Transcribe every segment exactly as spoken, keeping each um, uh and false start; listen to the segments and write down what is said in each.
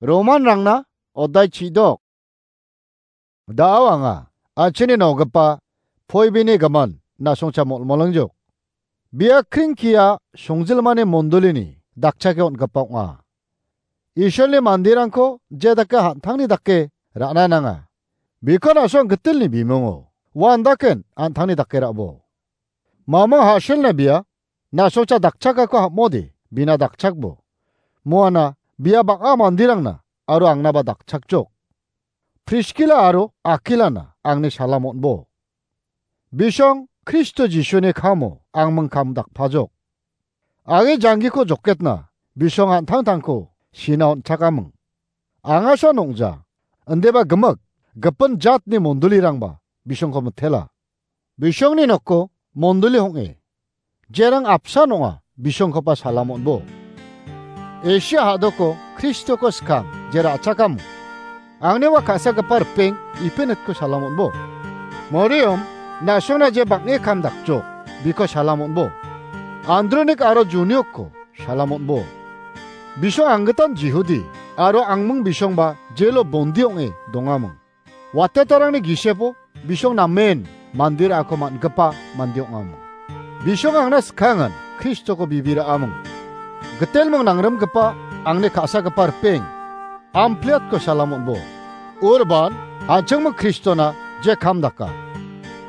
Romanrangna odai chidok. Da·o anga, an·chingni nogipa Poibini gimin, na·songcha molmolingjok. Bia kringkia songjilmani mondolini dakchake on·gipa ong·a. Isolni manderangko je dake an·tangni dake ra·na nanga. Biko na·song gitelni bimungo uandaken an·tangni dake ra·bo. Mamang ha·selna bia na·songcha dakchakako ham·ode bina dakchakbo. Moana bia bang·a manderangna aro angnaba dakchakjok. Priskila aro Akilana angni salam on·bo. Bisong Kristo Jisuni kamo angming kam dakpajok. Age janggiko joketna bisong an·tangtangko sina on·chakaming. Angasa nong·ja, indiba gimik, gipin jatni mondolirangba bisongko mitela. Bisongni noko mondoli ong·e. Jerang apsan ong·a, bisongkoba salam on·bo. Esia ha·doko Kristoko skang je ra·chakamo. Angni ua ka·sagipa ripeng Ipinitko salam on·bo. Moriom, na·songna je bang·e kam dakjok, biko salam on·bo. Andronik aro Juniokko salam on·bo. Bisong anggitan Jihudi aro angming bisongba jelo bondi ong·e dongaming. Watetarangni gisepo bisong namen mande ra·ako man·gipa mande ong·aming. Bisong angna skangin Kristoko bibi ra·aming. Gitelming nangrimgipa angni ka·sagipa ripeng Ampliatko salam on·bo. Urban, an·chingming Kristona je kam daka.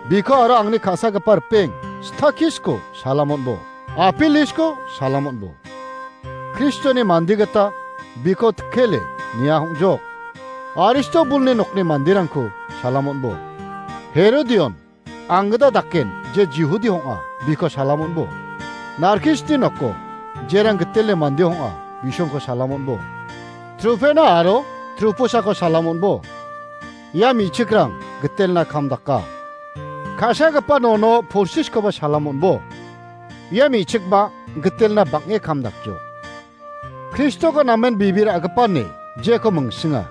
Biko aro angni ka·sagipa ripeng Stakisko salam on·bo. Apilisko salam on·bo. Kristoni mande gita biko tikkele nia hong·jok. Aristobulni nokni manderangko salam on·bo. Herodion, anggita daken je Jihudi hong·a, biko salam on·bo. Narkisni noko jerang gitele mande hong·a, bisongko salam on·bo. Trufena aro Trufusako salam on·bo. Ia me·chikrang gitelna kam daka. Ka·sagipa nono Porsiskoba salam on·bo. Ia me·chikba gitelna bang·e kam dakjok. Kristoko namen bibi ra·gipani jeko mingsinga.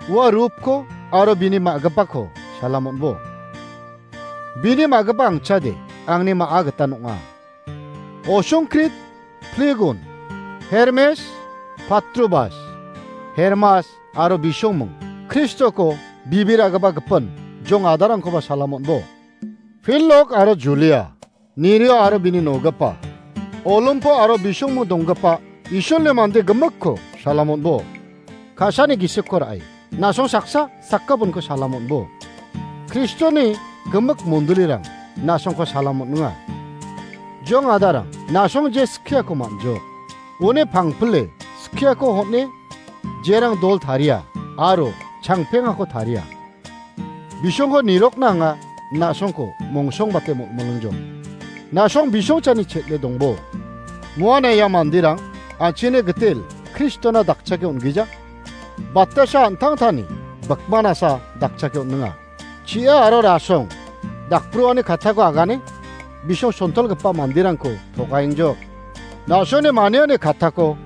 Ua rupko aro bini ma·gipako salam on·bo. Bini ma·gipa angchade angni ma·a gitan ong·a. Osongkrit, Plegon, Hermes, Patrobas, Hermas aro bisongming Kristoko bibi ra·gipa gipin jong adarangkoba salam on·bo. Filok aro Julia, Nirio aro bini nogipa, Olimpo aro bisongming donggipa Isolni mande gimikko salam on·bo. Ka·sani gisikko ra·e, na·song saksa sakgipinko salam on·bo. Kristoni gimik mondolirang na·songko salam on·enga. Jong adarang, na·song je skiako man·jok. Uni pangpile skiako hon·e jerang dol taria aro changpengako taria. Bisongko nirokna anga na·songko mongsongbate molmolingjok. Na·song bisongchani chel·e dongbo. Moana ia manderang an·chingni gitel Kristona dakchake on·gija. Batasa an·tangtani bikmanasa dakchake on·enga. Chi·a aro rasong dakbroani kattako agane bisong sontolgipa manderangko togaengjok. Na·songni maniani kattako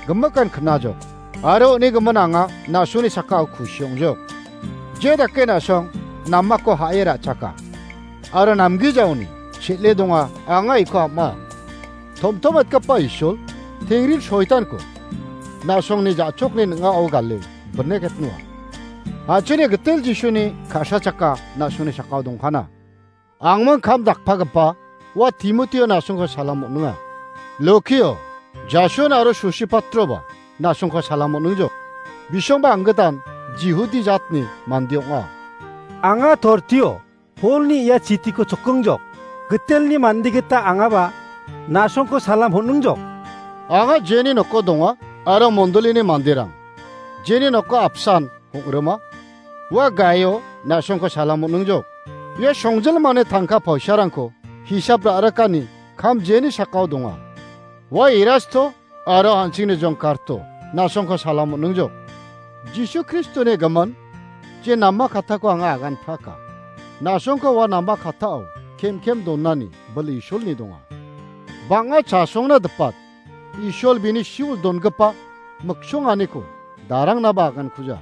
gimikan knajok. Aro uni gimin anga na·songni sakao kusi ong·jok. Je dake na·song namako ha·e ra·chaka. Aro namgijaoni chel·e donga anga iko am·a. Tomtomatgipa Isol, tengri soitanko na·songni ja·chokni ning·ao gale bineketnoa. An·chingni gitel Jisuni ka·sachaka na·songni sakao dongkana. Angmang kam dakpagipa ua Timotio na·songko salam on·enga. Lokio, Jason aro Sosipatroba na·songko salam on·engjok. Bisongba anggitan Jihudi jatni mande ong·a. Anga Tortio, Polni ia chitiko chokingjok. Gitelni mande gita angaba na·songko salam on·engjok. Anga jeni noko donga aro mondolini manderang jeni noko apsan hong·rima. Ua Gaio na·songko salam on·engjok. Ia songjilmani tangka poisarangko hisap ra·rikani kam jeni sakao donga. Ua Erasto aro an·chingni jongkarto na·songko salam on·engjok. Jisu Kristoni gimin je nama kattako anga agan praka. Na·songko ua nama kattao kem kem donani bil Isolni donga. Bang·a chasongna dipat Isol bini siul dongipa miksonganiko darangnaba agankuja.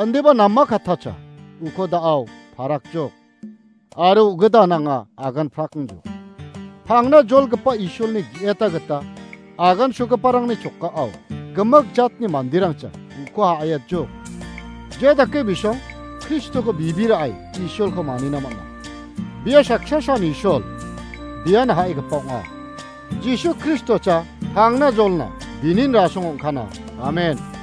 Indiba nama kattacha uko da·ao parakjok. Aro ugidan anga agan prakingjo. Pangna jolgipa Isolni ge·eta gita agansogiparangni chokao gimik jatni manderangcha uko ha·aiatjok. Je dake bisong Kristoko bibi ra·e Isolko manina man·a. Bia saksasan Isol, bian ha·egipa ong·a. Jisu Kristocha tangna jolna binin rasong ong·kana. Amen.